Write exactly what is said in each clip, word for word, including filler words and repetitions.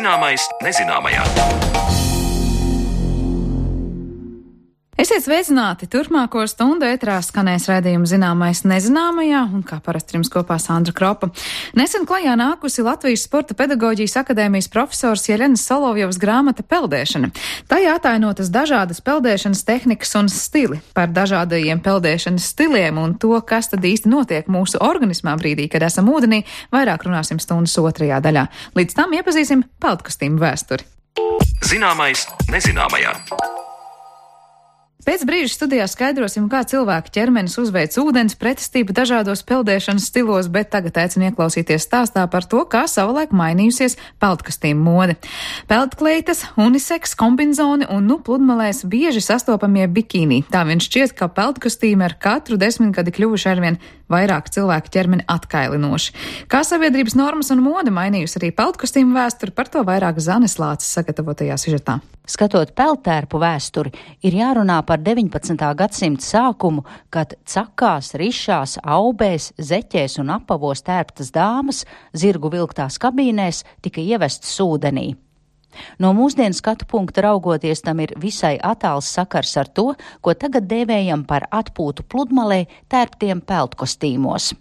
Zināmais nezināmajā. Esiet sveicināti! Turpmāko stundu ētrā skanēs raidījuma Zināmais nezināmajā, un kā parasti jums kopā Sandra Kropa. Nesen klajā nākusi Latvijas Sporta pedagoģijas akadēmijas profesors Jelenas Solovjovas grāmata Peldēšana. Tajā atainotas dažādas peldēšanas tehnikas un stili. Par dažādajiem peldēšanas stiliem un to, kas tad īsti notiek mūsu organismā brīdī, kad esam ūdenī, vairāk runāsim stundas otrajā daļā. Līdz tam iepazīsim peldkostīmu vēsturi. Zināmais nezināmajā. Pēc brīža studijā skaidrosim, kā cilvēka ķermenis uzveic ūdens pretestību dažādos peldēšanas stilos, bet tagad aicinu ieklausīties stāstā par to, kā savulaik mainījusies peldkostīmu mode. Peldkleitas, uniseks, kombinzoni un, nu, pludmalēs bieži sastopamie bikīni. Tā vien šķiet, ka peldkostīmi ar katru desmitgadi kļuvuši arvien vairāk cilvēku ķermeni atkailinoši. Kā sabiedrības normas un mode mainījusi arī peldkostīmu vēsturi, par to vairāk Zanes Lāces sagatavotajā sižetā. Skatot peldtērpu vēsturi, ir jārunā par deviņpadsmitā gadsimta sākumu, kad cakās, rišās, aubēs, zeķēs un apavos tērptas dāmas zirgu vilktās kabīnēs tika ievestas ūdenī. No mūsdienu skatu punkta raugoties, tam ir visai attāls sakars ar to, ko tagad dēvējam par atpūtu pludmalē tērptiem peldkostīmos.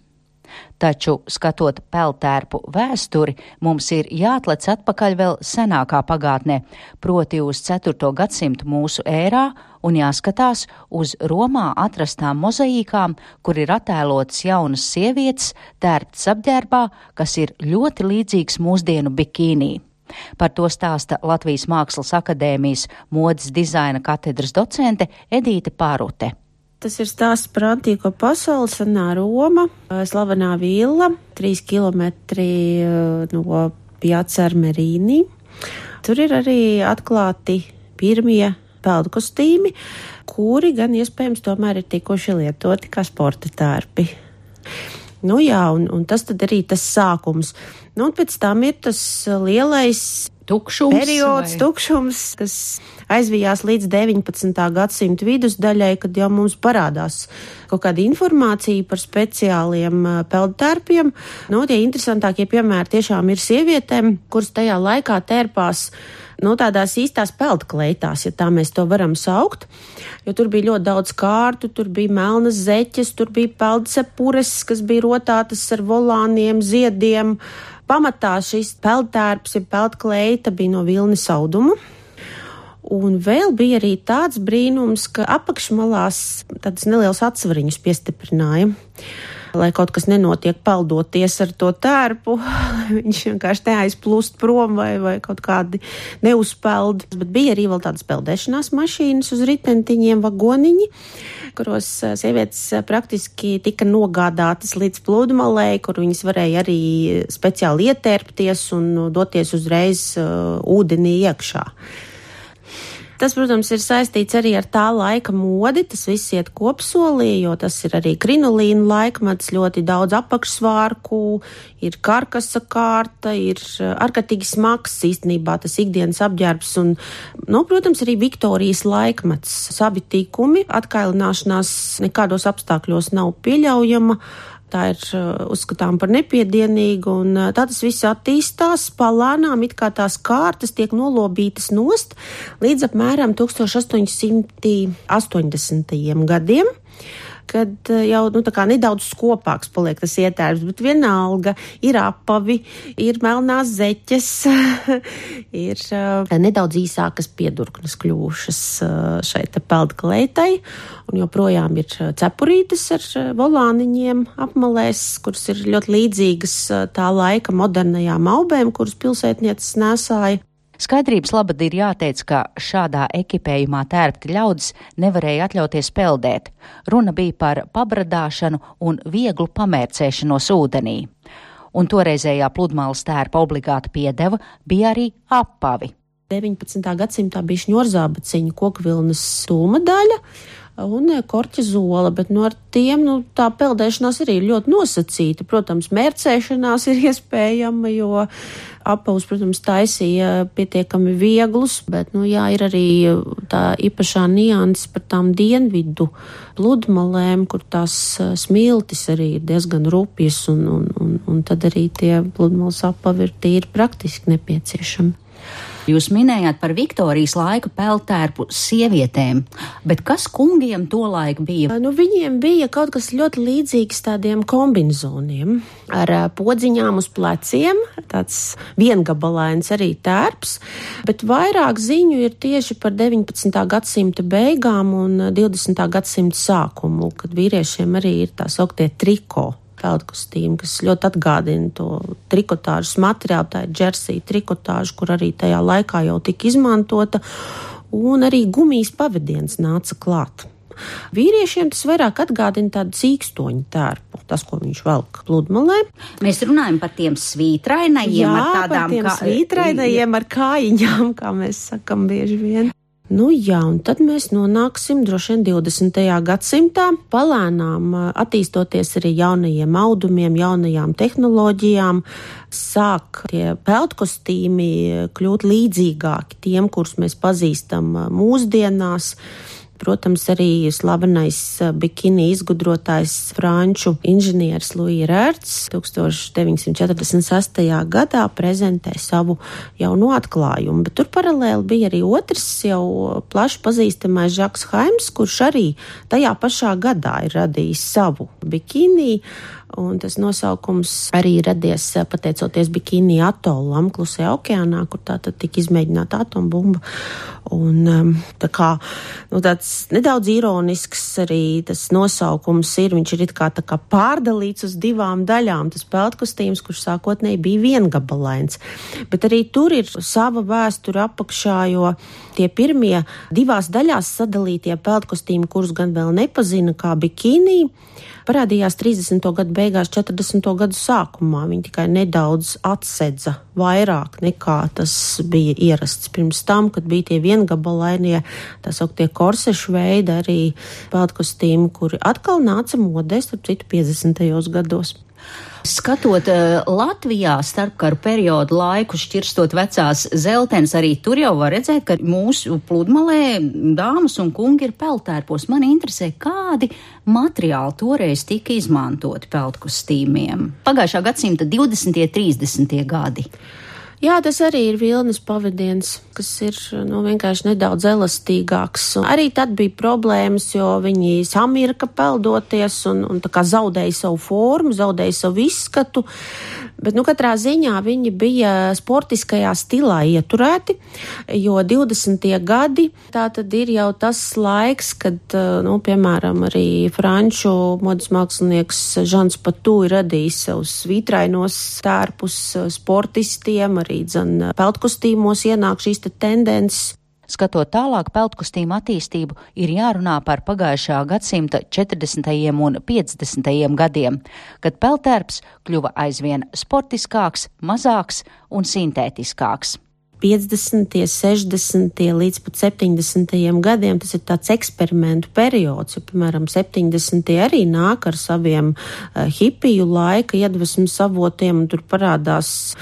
Taču, skatot peldtērpu vēsturi, mums ir jāatlec atpakaļ vēl senākā pagātnē, proti uz ceturto gadsimtu mūsu ērā, un jāskatās uz Romā atrastām mozaīkām, kur ir attēlotas jaunas sievietes tērptas apģērbā, kas ir ļoti līdzīgs mūsdienu bikīnī. Par to stāsta Latvijas Mākslas akadēmijas modes dizaina katedras docente Edīte Pārute. Tas ir stāsts par antīko pasauli, senā Roma, slavenā villa, trīs kilometri no Piazza Armerīni. Tur ir arī atklāti pirmie peldkostīmi, kuri gan iespējams tomēr ir tikuši lietoti kā sporta tērpi. Nu jā, un, un tas tad arī tas sākums. Nu, un pēc tam ir tas lielais tukšums, periods, vai? tukšums, kas aizvijās līdz deviņpadsmitā gadsimta vidusdaļai, kad jau mums parādās kaut kāda informācija par speciāliem peldtērpiem. Nu, tie interesantākie piemēri tiešām ir sievietēm, kuras tajā laikā tērpās nu, tādās īstās peldkleitās, ja tā mēs to varam saukt, jo tur bija ļoti daudz kārtu, tur bija melnas zeķes, tur bija peldcepures, kas bija rotātas ar volāniem, ziediem. Pamatā šis peldtērps, ja peldkleita bija no vilnis auduma. Un vēl bija arī tāds brīnums, ka apakšmalās tādas nelielas atsvariņus piestiprināja, lai kaut kas nenotiek peldoties ar to tērpu, viņš vienkārši neaizplūst prom vai, vai kaut kādi neuzpeld. Bet bija arī vēl tādas peldēšanās mašīnas uz ritentiņiem, vagoniņi, kuros sievietes praktiski tika nogādātas līdz pludmalē, kur viņas varēja arī speciāli ietērpties un doties uzreiz uh, ūdenī iekšā. Tas, protams, ir saistīts arī ar tā laika modi, tas viss iet kopsolī, jo tas ir arī krinolīna laikmets, ļoti daudz apakšsvārku, ir karkasa kārta, ir ārkārtīgi smags īstenībā tas ikdienas apģērbs un, nu, protams, arī Viktorijas laikmets. Savi tikumi, atkailināšanās nekādos apstākļos nav pieļaujama. Tā ir uzskatām par nepiedienīgu, un tā tas viss attīstās palānām, it kā tās kārtas tiek nolobītas nost līdz apmēram tūkstoš astoņsimt astoņdesmitajiem gadiem, kad jau nu, tā kā nedaudz skopāks paliek tas ietērps, bet vienalga ir apavi, ir melnās zeķes, ir uh, nedaudz īsākas piedurknes kļuvušas uh, šai te peldkleitai, un joprojām ir cepurītes ar volāniņiem apmalēs, kuras ir ļoti līdzīgas uh, tā laika modernajām aubēm, kuras pilsētnieces nesāja. Skaidrības labad ir jāteic, ka šādā ekipējumā tērpti ļaudis nevarēja atļauties peldēt. Runa bija par pabradāšanu un vieglu pamērcēšanos ūdenī. Un toreizējā pludmales tērpa obligāta piedeva bija arī apavi. deviņpadsmitā gadsimtā bija šņorzābaciņu kokvilnas stulma daļa un korķa zola, bet no ar tiem, nu, tā peldēšanās arī ir ļoti nosacīta. Protams, mērcēšanās ir iespējama, jo apavus, protams, taisīja pietiekami vieglus, bet, nu, jā, ir arī tā īpašā nianses par tām dienvidu pludmalēm, kur tās smiltis arī ir diezgan rupjas, un, un, un, un tad arī tie pludmales apavi ir tīri praktiski nepieciešami. Jūs minējāt par Viktorijas laika peldtērpu sievietēm, bet kas kungiem tolaik bija? Nu, viņiem bija kaut kas ļoti līdzīgs tādiem kombinzoniem ar podziņām uz pleciem, tāds viengabalains arī tērps, bet vairāk ziņu ir tieši par deviņpadsmitā gadsimta beigām un divdesmitā gadsimta sākumu, kad vīriešiem arī ir tā sauktie triko peldkostīmi, kas ļoti atgādina to trikotāžas materiālu, tā ir džersija trikotāža, kur arī tajā laikā jau tika izmantota, un arī gumijas pavadiens nāca klāt. Vīriešiem tas vairāk atgādina tādu cīkstoņu tērpu, tas, ko viņš velk pludmalē. Mēs runājam par tiem svītrainajiem, Jā, ar tādām par tiem kā... svītrainajiem ar kājiņām, kā mēs sakam bieži vien. Nu jā, un tad mēs nonāksim droši vien divdesmitajā gadsimtā, palēnām attīstoties arī jaunajiem audumiem, jaunajām tehnoloģijām, sāk tie peldkostīmi kļūt līdzīgāki tiem, kurus mēs pazīstam mūsdienās. Protams, arī slavenais bikini izgudrotājs franču inženieris Louis Rērts tūkstoš deviņsimt četrdesmit sestajā gadā prezentē savu jauno atklājumu, bet tur paralēli bija arī otrs jau plaši pazīstamais Žaks Haims, kurš arī tajā pašā gadā ir radījis savu bikini, un tas nosaukums arī radies pateicoties bikini atolam Klusajā okeānā, kur tā tad tika izmēģināta atombumba. Un tā kā, nu, tāds nedaudz ironisks arī tas nosaukums ir, viņš ir it kā tā kā pārdalīts uz divām daļām, tas peldkostīms, kurš sākotnēji bija viengabalains. Bet arī tur ir sava vēsture apakšā, jo tie pirmie divās daļās sadalītie peldkostīmi, kurus gan vēl nepazina kā bikini, parādījās trīsdesmito gadu beigās, četrdesmito gadu sākumā. Viņi tikai nedaudz atsedza vairāk nekā tas bija ierasts pirms tam, kad bija tie viengabalainie, tā sauktie korsešu veidi, arī peldkostīmi, kuri atkal nāca modē, starp citu, piecdesmitajos gados. Skatot Latvijā starpkaru periodu laiku, šķirstot vecās zeltenes, arī tur jau var redzēt, ka mūsu pludmalē dāmas un kungi ir peldtērpos. Mani interesē, kādi materiāli toreiz tika izmantoti peldkostīmiem. Pagājušā gadsimta divdesmitie, trīsdesmitie gadi. Jā, tas arī ir vilnas pavadiens, kas ir nu, vienkārši nedaudz elastīgāks. Un arī tad bija problēmas, jo viņi samirka peldoties un, un tā kā zaudēja savu formu, zaudēja savu izskatu. Bet nu, katrā ziņā viņi bija sportiskajā stilā ieturēti, jo divdesmitie gadi tā tad ir jau tas laiks, kad, nu, piemēram, arī franču modes mākslinieks Žans Patū ir radījis savus svītrainos tērpus sportistiem, arī dzen peldkostīmos ienāk šīs te tendences. Skatot tālāk peldkostīmu attīstību, ir jārunā par pagājušā gadsimta četrdesmitajiem un piecdesmitajiem gadiem, kad peldtērps kļuva aizvien sportiskāks, mazāks un sintētiskāks. piecdesmitie, sešdesmitie līdz pat septiņdesmitajiem gadiem tas ir tāds eksperimentu periods, jo, piemēram, septiņdesmitie arī nāk ar saviem uh, hipiju laika iedvesmas avotiem, un tur parādās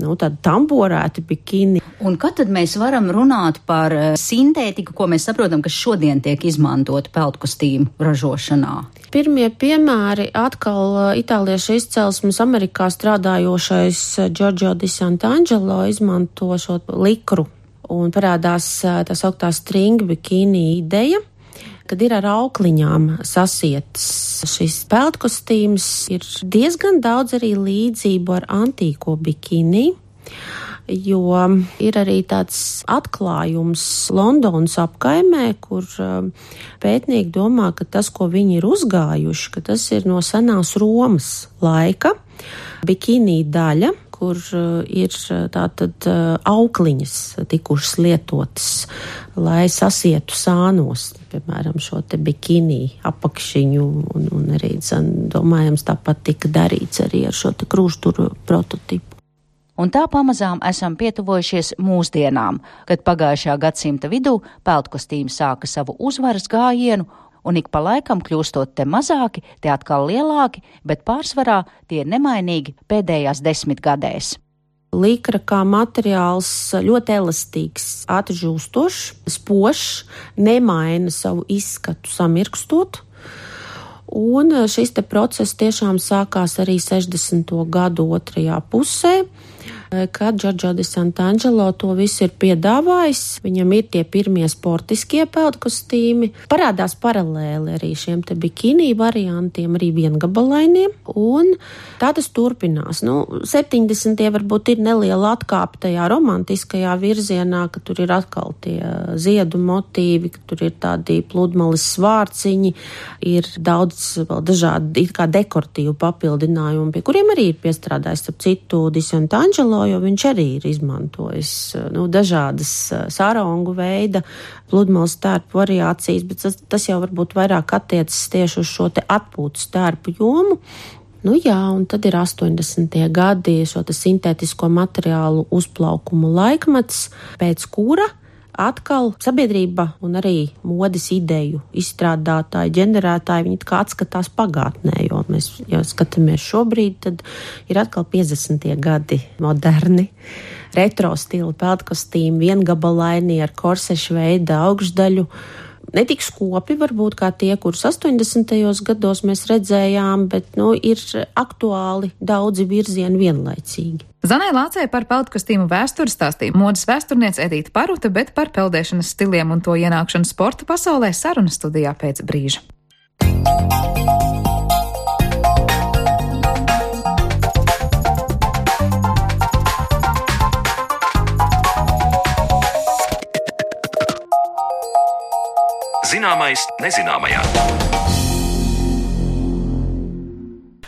nu, tādi tamborēti bikini. Un kad tad mēs varam runāt par sintētiku, ko mēs saprotam, kas šodien tiek izmantot peldkostīmu ražošanā? Pirmie piemēri atkal itāliešu izcelsmes Amerikā strādājošais Giorgio di Sant'Angelo izmanto šo likru, un parādās tā sauktā string bikini ideja, kad ir ar aukliņām sasietas šis peldkostīms, ir diezgan daudz arī līdzību ar antīko bikini, jo ir arī tāds atklājums Londonas apkaimē, kur pētnieki domā, ka tas, ko viņi ir uzgājuši, ka tas ir no senās Romas laika bikini daļa, kur ir tātad aukliņas tikušas lietotas, lai sasietu sānos, piemēram, šo te bikini apakšiņu, un, un arī, zin, domājams, tāpat tika darīts arī ar šo te krūšturu prototipu. Un tā pamazām esam pietuvojušies mūsdienām, kad pagājušā gadsimta vidū peldkostīmi sāka savu uzvaras gājienu, un ik pa laikam kļūstot te mazāki, te atkal lielāki, bet pārsvarā tie nemainīgi pēdējās desmitgadēs. Likra kā materiāls ļoti elastīgs, ātri žūstošs, spošs, nemaina savu izskatu samirkstot. Un šis te process tiešām sākās arī sešdesmito gadu otrajā pusē. ka Giorgio de Sant'Angelo to visu ir piedāvājis. Viņam ir tie pirmie sportiskie peldkostīmi. Parādās paralēli arī šiem te bikini variantiem, arī viengabalainiem, un tā tas turpinās. Nu, septiņdesmitie varbūt ir neliela atkāpe tajā romantiskajā virzienā, ka tur ir atkal tie ziedu motīvi, ka tur ir tādi pludmales svārciņi, ir daudz vēl dažādi it kā dekoratīvu papildinājumu, pie kuriem arī ir piestrādājis ap citu Di Sant'Angelo, jo viņš arī ir izmantojis nu, dažādas sarongu veida pludmales tērpu variācijas, bet tas, tas jau varbūt vairāk attiecas tieši uz šo te atpūtas tērpu jomu. Nu jā, un tad ir astoņdesmitie gadi, šo te sintētisko materiālu uzplaukuma laikmets, pēc kura atkal sabiedrība un arī modes ideju izstrādātāji, ģenerētāji, viņi kā atskatās pagātnē, jo mēs, ja skatāmies šobrīd, tad ir atkal piecdesmitie gadi moderni, retro stila peldkostīmi, viengabalaini ar korsešu veida augšdaļu. Ne tik skopi varbūt kā tie, kurus astoņdesmitajos gados mēs redzējām, bet nu, ir aktuāli daudzi virzieni vienlaicīgi. Zanai Lācei par peldkostīmu vēsturi stāstīja modes vēsturniece Edīta Paruta, bet par peldēšanas stiliem un to ienākšanu sporta pasaulē sarunas studijā pēc brīža. Zināmais nezināmajā.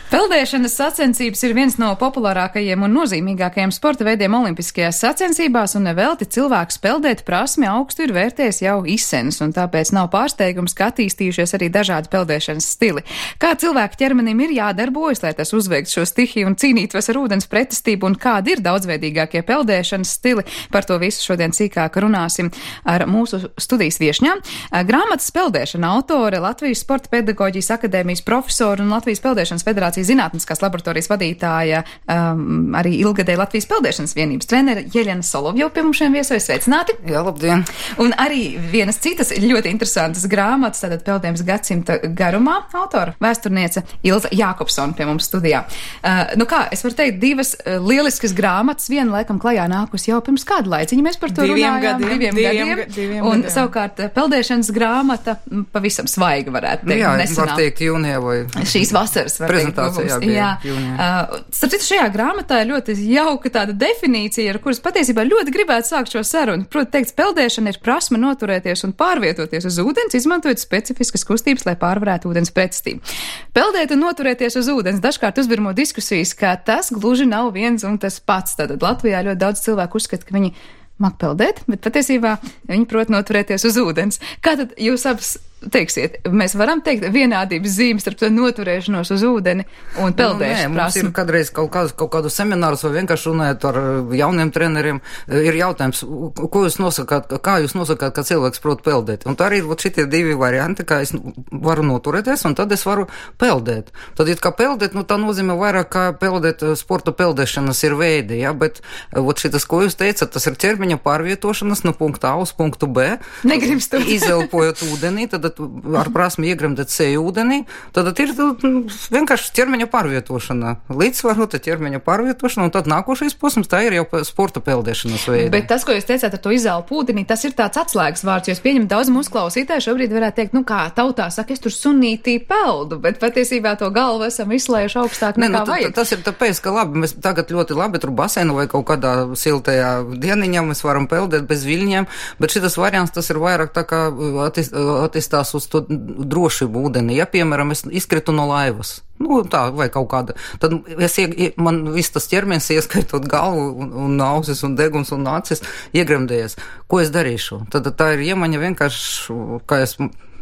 Peldēšanas sacensības ir viens no populārākajiem un nozīmīgākajiem sporta veidiem olimpiskajās sacensībās, un nevelti cilvēks peldēt prasmi augstu ir vērtējis jau izsenis, un tāpēc nav pārsteigums, ka attīstījušies arī dažādi peldēšanas stili. Kā cilvēka ķermenim ir jādarbojas, lai tas uzveiktu šo stihiju un cīnītos ar ūdens pretestību, un kādi ir daudzveidīgākie peldēšanas stili, par to visu šodien sīkāk runāsim ar mūsu studijas viešņām. Grāmatas Peldēšana autore, Latvijas Sporta pedagoģijas akadēmijas profesora un Latvijas Peldēšanas federācijas zinātniskās laboratorijas vadītāja, um, arī ilgadēja Latvijas peldēšanas vienības trenere Jeļena Solovjova pie mums šiem viesojas. Sveicināti! Jā, labdien! Un arī vienas citas ļoti interesantas grāmatas, tātad Peldējums gadsimta garumā, autora vēsturniece Ilza Jākopsona pie mums studijā. Uh, nu kā, es varu teikt, divas uh, lieliskas grāmatas, viena laikam klajā nākus jau pirms kādu laiciņu, mēs par to diviem runājām. Gadiem, diviem, diviem gadiem. Diviem un gadiem. Savukārt peldēšanas grāmata pavisam svaiga varētu teikt. Jā, nesenā. var teikt jūnijā vai šīs vasaras var teikt. Jā, bija, jā. Uh, starp citu, šajā grāmatā ir ļoti jauka tāda definīcija, ar kuras patiesībā ļoti gribētu sākt šo sarunu. Proti, teikt, peldēšana ir prasme noturēties un pārvietoties uz ūdens, izmantojot specifiskas kustības, lai pārvarētu ūdens pretestību. Peldēt un noturēties uz ūdens dažkārt uzbirmo diskusijas, ka tas gluži nav viens un tas pats. Tātad Latvijā ļoti daudz cilvēku uzskata, ka viņi mak peldēt, bet patiesībā viņi prot noturēties uz ūdens. Kā tad jūs abas teiksiet, mēs varam teikt vienādības zīmes starp to noturēšanos uz ūdeni un peldēšanu? Nu, nē, mums ir kādreiz kaut, kādu, kaut kādu seminārus vai vienkārši runājot ar jauniem treneriem, ir jautājums, ko jūs nosakāt, kā jūs nosakāt, ka cilvēks prot peldēt. Un tā arī ir šitie divi varianti, kā es varu noturēties un tad es varu peldēt. Tad, ja kā peldēt, nu tā nozīmē vairāk, kā peldēt sporta peldēšanas ir veidi, ja, bet ot šitas, ko jūs teicat, tas ir ķermeņa pārvietošanas no punkta A uz punktu B. Negrimstot. Izelpojot ūdenī, tad ar prasmi iegremdēt seju ūdenī, tad ir vienkārši ķermeņa pārvietošana. Līdzsvarota ķermeņa pārvietošana, un tad nākošais posms, tā ir jau sporta peldēšanas veida. Bet tas, ko jūs teicāt ar to izelpu ūdenī, tas ir tāds atslēgas vārds, jo es pieņemu daudz mūsu klausītāju šobrīd varētu teikt, nu kā tautā saka, es tur sunītī peldu, bet patiesībā to galvu esam izslējuši augstāk nekā ne, nu, vajag. Tas ir tāpēc, ka labi, mēs tagad ļoti labi tur basēnu vai kaut kādā siltajā dieniņā mēs varam peldēt bez viļņiem, bet šitas variants, tas ir vairāk tā kā attist, attistās uz to drošību ūdenī. Ja, piemēram, es izkritu no laivas, nu tā, vai kaut kāda, tad es, man viss tas ķermenis, ieskaitot galvu un, un ausis un deguns un acis, iegremdējies. Ko es darīšu? Tad tā ir iemaņa vienkārši, ka es,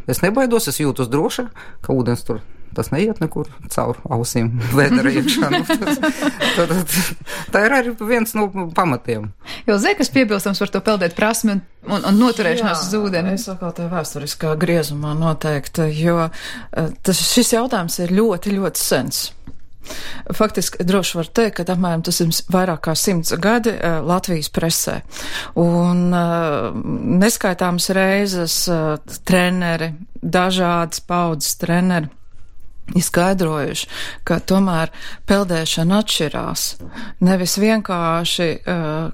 es nebaidos, es jūtos droši, ka ūdens tur. Tas neiet nekur caur ausīm vēdera iekšā. Nu, tas, tā, tā, tā ir arī viens no pamatiem. Jo zē, kas piebilstams par to peldēt prasmi un, un, un noturēšanās uz ūdeni? Es atkal te vēsturiskā griezumā noteikti, jo tas, šis jautājums ir ļoti, ļoti sens. Faktiski droši var teikt, ka apmēram tas ir vairāk kā simts gadi uh, Latvijas presē. Un uh, neskaitāmas reizes uh, treneri, dažādas paudzes treneri izskaidrojuši, ka tomēr peldēšana atšķirās. Nevis vienkārši,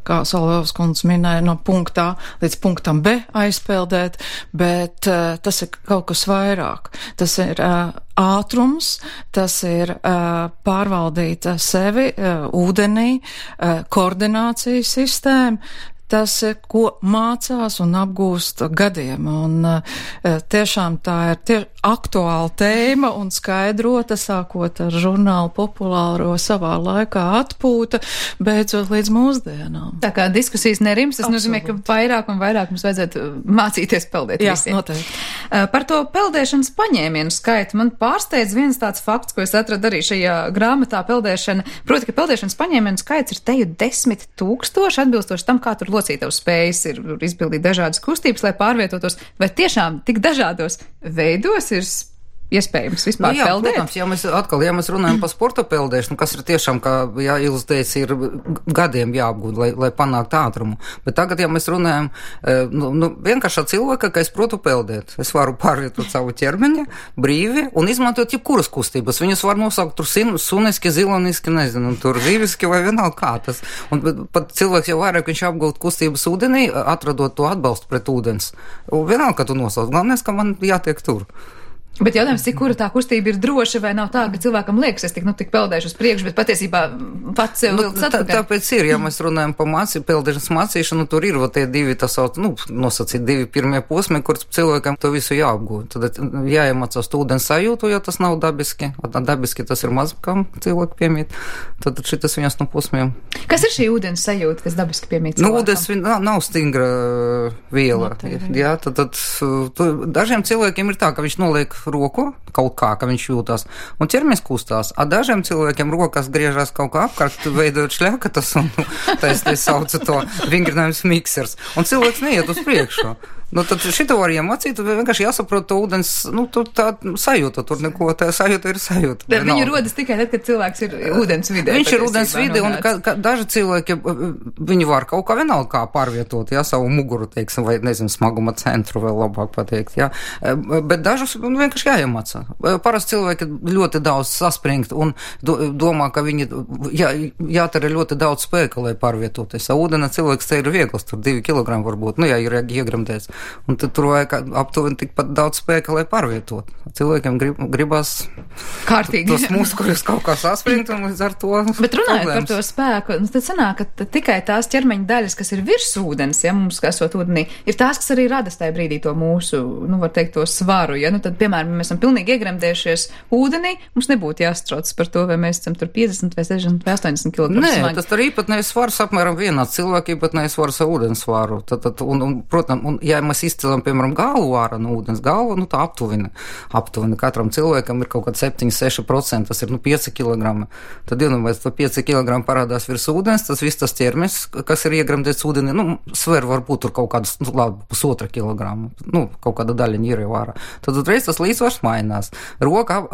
kā Solovs kundze minēja, no punktā līdz punktam B aizpeldēt, bet tas ir kaut kas vairāk. Tas ir ātrums, tas ir pārvaldīt sevi ūdenī, koordinācijas sistēma. Tas, ko mācās un apgūst gadiem, un tiešām tā ir tie aktuāla tēma un skaidrota, sākot ar žurnālu populāro savā laikā atpūta, beidzot līdz mūsdienām. Tā kā diskusijas nerims, tas Absolut. Nozīmē, ka vairāk un vairāk mums vajadzētu mācīties peldēt Jā, visiem. Noteikti. Par to peldēšanas paņēmienu skaitu man pārsteidz viens tāds fakts, ko es atradu arī šajā grāmatā peldēšana, proti, ka peldēšanas paņēmienu skaits ir teju desmit tūkstoši, atbilstoši tam, kā tur locītavas spējas ir izpildīt dažādas kustības, lai pārvietotos, vai tiešām tik dažādos veidos ir iespējams vispār nu, jā, peldēt? Protams, ja mēs atkal, ja mēs runājam par sporta peldēšanu, kas ir tiešām, kā jā, Ilze teica, ir gadiem jāapgūt, lai, lai panāktu ātrumu. Bet tagad, ja mēs runājam, nu, nu vienkāršā cilvēka, ka es protu peldēt, es varu pārvietot savu ķermeni brīvi un izmantot jebkuras kustības. Viņas var nosaukt tur suniski, ziloniski, nezinu, tur zīviski vai vienalga kā tas. Un pat cilvēks jau vairāk viņš apgūt kustības ūdenī, atradot to atbalstu pret ūdens. Un vienalga, ka tu nosauc. Galvenais, ka man jātiek tur. Bet jautājums, cik kura tā kustība ir droša, vai nav tā, ka cilvēkam liekas, es tik, nu, tik peldēšu uz priekšu, bet patiesībā pats sev vilks atpakaļ. Tā, tāpēc ir, ja mēs runājam par mācī, peldēšanas mācīšanu, tur ir tie divi, tas sauc, nu, nosacīt divi pirmie posmi, kur cilvēkam to visu jāapgūt. Tad jāiemācās to ūdens sajūtu, jo tas nav dabiski. Dabiski tas ir mazākam cilvēku piemīt. Tad šitas viens no posmiem. Kas ir šī ūdens sajūta, kas dabiski piemīt cilvēkam? Nu, ūdens nav, nav stingra viela. Jā, tad, tad tu, dažiem cilvēkiem ir tā, ka viņš noliek roku kaut kā, ka viņš jūtās, un ķermenis kustās. A dažiem cilvēkiem rokas griežās kaut kā apkārt, veidot šļakatas, un tā es te saucu to vingrinājums miksers, un cilvēks neiet uz priekšu. Nu, tad šito var iemācīt, vienkārši jāsaprot to ūdens, nu, tur tā sajūta, tur neko, tā sajūta ir sajūta. Bet viņi rodas tikai tad, kad cilvēks ir ūdens vidē. Viņš ir ūdens vidē, un ka, ka daži cilvēki, viņi var kaut kā vienalga kā pārvietot, jā, savu muguru, teiksim, vai, nezinu, smaguma centru vēl labāk pateikt, jā. Bet dažus vienkārši jāiemācā. Parasti cilvēki ļoti daudz saspringt un do, domā, ka viņi jā, jātara ļoti daudz spēka, lai pārvietoties. Ūdena cilvēks te ir viegls, tur divi kilogrami varbūt, nu, jā, ir iegremdēts. Un tad tur vajag aptuveni tikpat daudz spēka, lai pārvietot. Cilvēkiem grib, gribas kārtīgi. Tos muskuļus kaut kā saspringt un līdz ar to Bet runājot problēmas. Par to spēku, tad sanāk, ka tikai tās ķermeņa daļas, kas ir virs ūdens, ja mums esot ūdenī, ir tās, kas arī rada tajā brīdī to mūsu, nu, var teikt, to svaru. Ja? Nu, tad, piemēram, mēs esam pilnīgi iegremdējušies ūdenī, mums nebūtu jāstrauc par to, vai mēs esam tur piecdesmit vai sešdesmit vai astoņdesmit kilogramu Nē, smagi. Tas tur īpatnējais svars apmēram vienāds. Cilvēki īpatnējais svars ar ūdens svaru. Tad, tad, un, un, protams, un, ja mēs izcelam, piemēram, galvu ārā no ūdens galvu, nu tā aptuveni. Aptuveni katram cilvēkam ir kaut kāds septiņi seši procenti, tas ir, nu, pieci kilogrami. Tad, ja nu, mēs pa pieci kilogrami parādās virs ūdens, tas viss tas ķermenis, kas ir iegremdēts ūdenī, nu, sver varbūt tur kaut kādas, nu, labi, pusotra kilograma, nu, kaut kāda daļiņa ir jau ārā. Tad uzreiz tas līdzsvars mainās. Roka ap,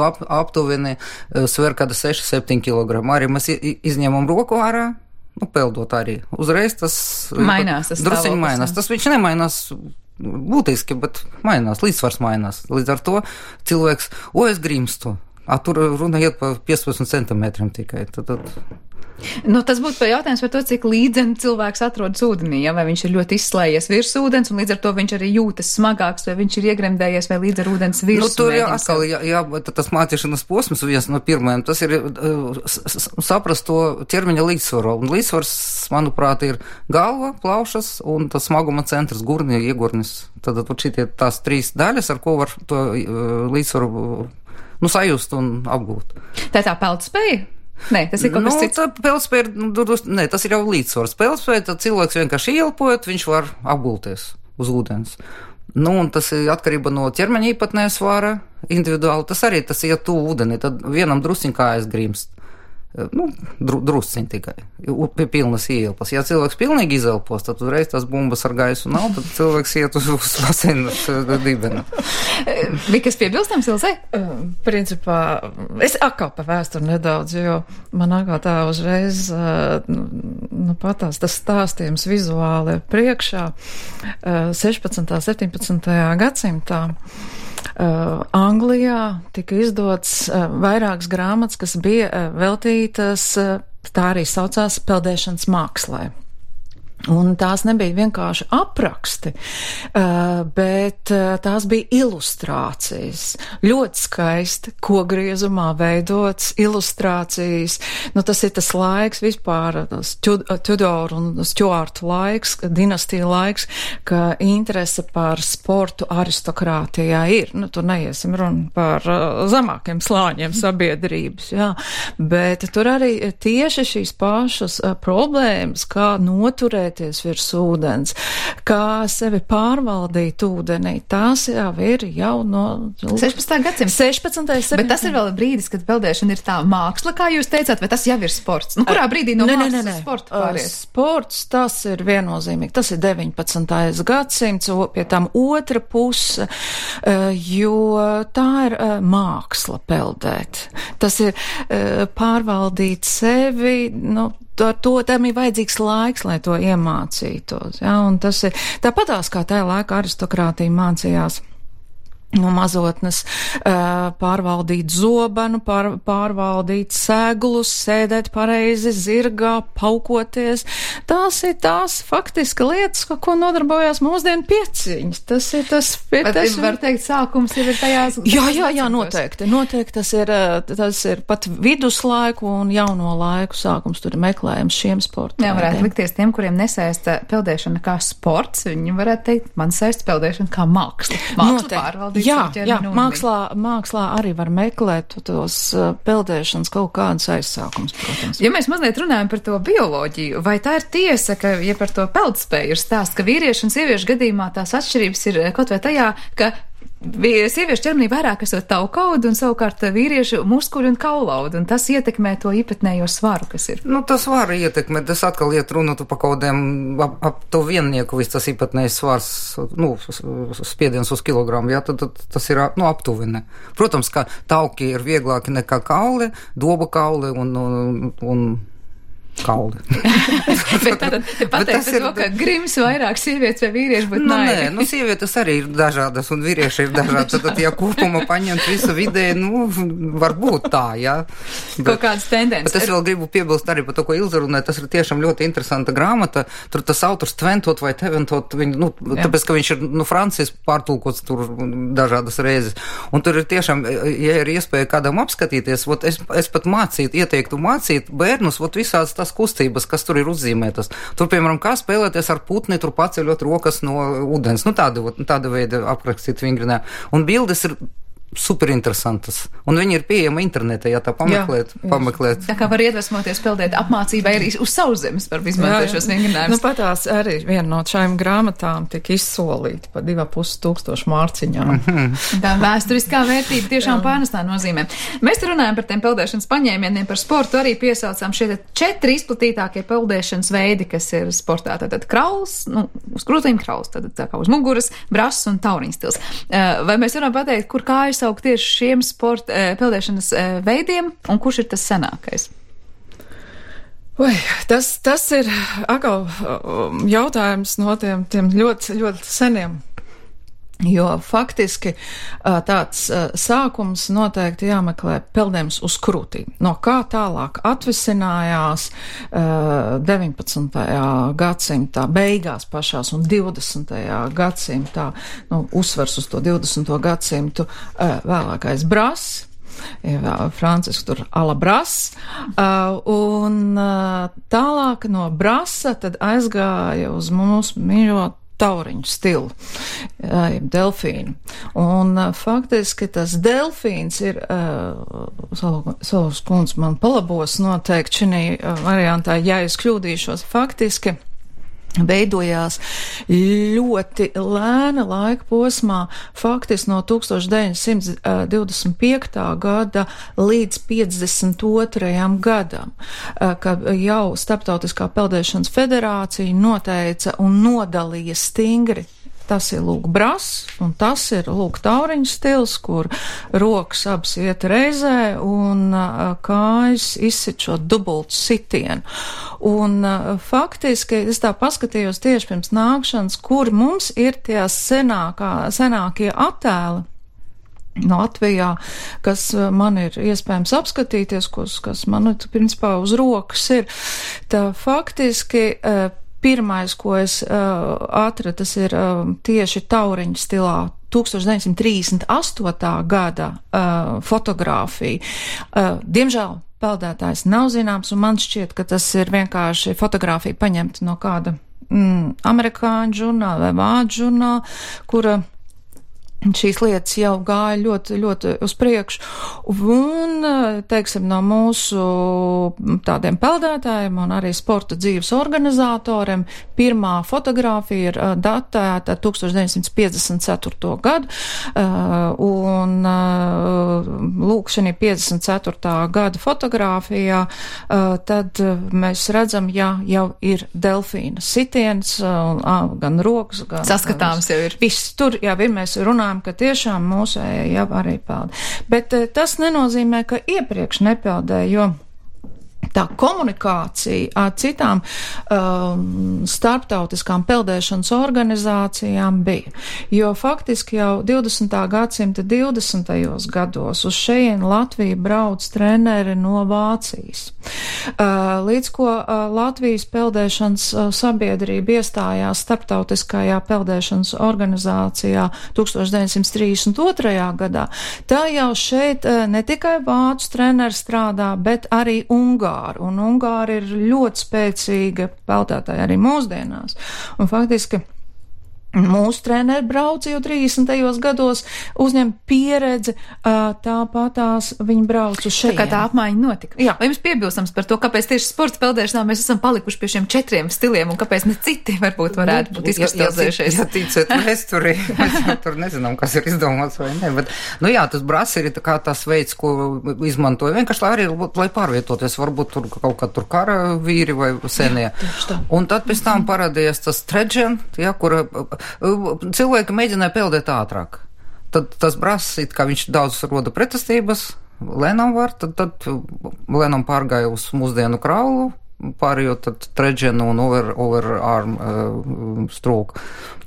ap, aptuveni sver kāda seši septiņi kilogrami. Arī mēs izņemam roku ārā, nu, peldot arī. Uzreiz tas mainās, tas drusiņi mainās. Tas viņš nemainās būtiski, bet mainās, līdzsvars mainās. Līdz ar to cilvēks, o, es grimstu. A, tur runa iet pa piecpadsmit centimetriem tikai. Tad, tad... Nu, tas būtu jautājums par to, cik līdzeni cilvēks atrodas ūdenī, ja? Vai viņš ir ļoti izslējies virs ūdens, un līdz ar to viņš arī jūtas smagāks, vai viņš ir iegremdējies, vai līdz ar ūdens virsmu. Nu, tur jā, atkal, jā, jā, tas mācīšanas posms viens no pirmajiem, tas ir saprast to ķermeņa līdzsvaru. Un līdzsvars, manuprāt, ir galva, plaušas un tas smaguma centrs, gurni, iegurnis. Tad šitie tās trīs daļas, ar ko var to līdzsvaru, nu, sajust un apgūt. Tā ir tā peldspēja? Nē, tas ir kaut kas nu, cits. Peldspēja, nu, nē, tas ir jau līdzsvars. Peldspēja, tad cilvēks vienkārši ieelpojot, viņš var apgulties uz ūdens. Nu, un tas ir atkarība no ķermeņa īpatnēja svāra individuāli. Tas arī tas iet tuvu ūdeni, tad vienam drusciņ kājas grimst. Nu, dru, drusciņ tikai. Pilnas ieelpas. Ja cilvēks pilnīgi izelpos, tad uzreiz tās bumbas ar gaisu nav, tad cilvēks iet uz, uz baseinu dibenu. Vikas piebilstams, Ilzei? Principā, es atkal pa vēsturi nedaudz, jo man nākā tā uzreiz, nu, patās tas stāstījums vizuāli priekšā sešpadsmitajā, septiņpadsmitajā gadsimtā. uh, Anglijā tika izdots uh, vairākas grāmatas, kas bija uh, veltītas, uh, tā arī saucās, peldēšanas mākslai. Un tās nebija vienkārši apraksti, bet tās bija ilustrācijas. Ļoti skaisti, kogriezumā veidots ilustrācijas. Nu, tas ir tas laiks vispār, Tudor un Stuart laiks, dinastija laiks, ka interese par sportu aristokrātijā ir. Nu, tur neiesim runu par zemākiem slāņiem sabiedrības, jā. Bet tur arī tieši šīs pašas problēmas, kā noturēt virs ūdens, kā sevi pārvaldīt ūdenī, tās jau ir jau no sešpadsmitā gadsimta. sešpadsmitais Bet tas ir vēl brīdis, kad peldēšana ir tā māksla, kā jūs teicāt, vai tas jau ir sports? Nu, kurā brīdī no ne, mākslas ne, ne, ne. sporta pāriet? Sports, tas ir viennozīmīgi. Tas ir deviņpadsmitais gadsimts, pie tam otra puse, jo tā ir māksla peldēt. Tas ir pārvaldīt sevi, nu, ar to tam ir vajadzīgs laiks, lai to iemācītos. Ja? Un tas ir tāpatās, kā tajā laikā aristokrātija mācījās no mazotnes pārvaldīt zobenu, pār, pārvaldīt seglus, sēdēt pareizi zirgā, paukoties. Tās ir tās faktiski lietas, ko, ko nodarbojās mūsdienu pieciņas. Tas ir tas... Bet tas var teikt, sākums jau ir tajās... Jā, jā, jā, noteikti. Noteikti tas ir, tas ir pat viduslaiku un jauno laiku sākums. Tur ir meklējums šiem sportiem. Jā, varētu likties tiem, kuriem nesaista peldēšana kā sports. Viņi varētu teikt, man saista peldēšana kā māksla. Māksla pārvaldīt. Jā, jā, mākslā, mākslā arī var meklēt tos uh, peldēšanas kaut kādas aizsākums, protams. Ja mēs mazliet runājam par to bioloģiju, vai tā ir tiesa, ka, ja par to peldspēju ir stāsts, ka vīriešu un sieviešu gadījumā tās atšķirības ir kaut vai tajā, ka sieviešu ķermenī vairāk esot taukaudu un savukārt vīriešu muskuļu un kaulaudu, un tas ietekmē to īpatnējo svaru, kas ir. Nu, tas var ietekmēt, tas atkal iet runāt par kaut kādiem ap, ap to viennieku, viss tas īpatnējs svars, nu, spiediens uz kilogramu, jā, tad, tad tas ir, nu, aptuveni. Protams, ka tauki ir vieglāki nekā kauli, doba kauli un, un, un kauli. Bet tātad pateikt par to, ka grims vairāk sievietes vai vīrieši, bet nu, nē. Nē, nu sievietes arī ir dažādas un vīrieši ir dažādi. Tad, ja kopumā paņemt visu vidē, nu, varbūt tā, jā. Bet, kaut kādas tendences. Bet es vēl gribu piebilst arī par to, ko Ilze runāja, tas ir tiešām ļoti interesanta grāmata. Tur tas autors Tventot vai Teventot, viņ, nu, jā. Tāpēc, ka viņš ir, nu, Francis pārtulkots tur dažādas reizes. Un tur ir tiešām, ja ir iespēja kādam apskatīties, vot es, es pat mācītu, ieteiktu mācīt bērnus, vot visādas tas kustības, kas tur ir uzzīmētas. Tur, piemēram, kā spēlēties ar putni, tur paceļot rokas no ūdens. Nu, tāda, tāda veida aprakstīt vingrinē. Un bildes ir super interesantas. Un viņi ir pieejama internetā, ja tā pameklēt. Jā, pameklēt. Tā kā var iedvesmoties peldēt apmācībai arī uz sauszemes par izmantojušos šos vingrinājumus. Nu, patās arī viena no šajām grāmatām tika izsolīta pa divā pus tūkstošu mārciņām. Mm-hmm. Tā vēsturiskā vērtība tiešām pārnestā nozīmē. Mēs te runājam par tiem peldēšanas paņēmieniem, par sportu arī piesaucām šie četri izplatītākie peldēšanas veidi, kas ir sportā. Tātad krauls, nu, uz krūtīm krauls, tad tā kā uz muguras, brass un tauriņstils. Vai mēs varam pateikt, kur kājas saukt tieši šiem sporta peldēšanas veidiem, un kurš ir tas senākais? Ui, tas, tas ir atkal jautājums no tiem, tiem ļoti, ļoti seniem. Jo faktiski tāds sākums noteikti jāmeklē peldējums uz krūtīm. No kā tālāk atvisinājās deviņpadsmitajā gadsimtā beigās pašās un divdesmitajā gadsimtā, nu, uzsvars uz to divdesmito gadsimtu, vēlākais brass. Francisks tur ala brass, uh, un uh, tālāk no brasa tad aizgāja uz mūsu mīļo tauriņu stilu, uh, delfīnu. Un uh, faktiski tas delfīns ir, uh, Solovs kundze man palabos noteikti šinī uh, variantā, ja es kļūdīšos, faktiski veidojās ļoti lēna laika posmā, faktiski no tūkstoš deviņsimt divdesmit piektā gada līdz piecdesmit otrajam gadam, kad jau Starptautiskā peldēšanas federācija noteica un nodalīja stingri. Tas ir lūk brass, un tas ir lūk tauriņu stils, kur rokas abas iet reizē un uh, kājas izsit šo dubultu sitienu. Un uh, faktiski es tā paskatījos tieši pirms nākšanas, kur mums ir tie senākā, senākie attēli. Latvijā, kas man ir iespējams apskatīties, kas, kas man, principā, uz rokas ir. Tā faktiski pirmais, ko es atradu, tas ir tieši tauriņu stilā tūkstoš deviņsimt trīsdesmit astotā gada fotogrāfija. Diemžēl peldētājs nav zināms, un man šķiet, ka tas ir vienkārši fotogrāfija paņemta no kāda mm, amerikāņu žurnāla vai vācu žurnāla, kura šīs lietas jau gāja ļoti, ļoti uz priekšu. Un, teiksim, no mūsu tādiem peldētājiem un arī sporta dzīves organizatoriem pirmā fotogrāfija ir datēta tūkstoš deviņsimt piecdesmit ceturto gadu. Un, lūk, šī piecdesmit ceturtā gada fotogrāfijā, tad mēs redzam, ja jau ir delfīna sitiens, gan rokas, gan... Saskatāms jau ir. Viss tur jau ir, mēs runājam, ka tiešām mūsējie jau arī pelda. Bet tas nenozīmē, ka iepriekš nepeldēja, jo tā komunikācija ar citām um, starptautiskām peldēšanas organizācijām bija. Jo faktiski jau divdesmitā gadsimta divdesmitajos gados uz šejien Latvija brauc treneri no Vācijas. Uh, līdz ko uh, Latvijas peldēšanas uh, sabiedrība iestājās starptautiskajā peldēšanas organizācijā tūkstoš deviņsimt trīsdesmit otrajā gadā, tā jau šeit uh, ne tikai vācu treneri strādā, bet arī Ungāri. Un Ungāri ir ļoti spēcīga peldētāja arī mūsdienās. Un faktiski mūsu treneri brauc jau trīsdesmitajos gados, uzņem pieredzi, tāpatās viņi brauc uz šeit. Tā kā tā apmaiņa notika. Jā. Vai jums piebilstams par to, kāpēc tieši sports peldēšanā mēs esam palikuši pie šiem četriem stiliem un kāpēc ne citi varbūt varētu būt izkristalizējušies? Ja, ja ticēt vēsturī, mēs jau tur nezinām, kas ir izdomāts vai ne, bet, nu jā, tas brats ir kā tas veids, ko izmantoja vienkārši, lai arī, lai pārvietoties, varbūt tur kaut kā tur kara vīri vai senie. Jā, un tad pēc tam parādījās tas tredžen, ja, kur cilvēki mēģināja peldēt ātrāk. Tad tas brass, it kā viņš daudz roda pretestības, lēnām var, tad, tad lēnām pārgāja uz mūsdienu kraulu, pārējot tad tredženu un over, overarm uh, stroke.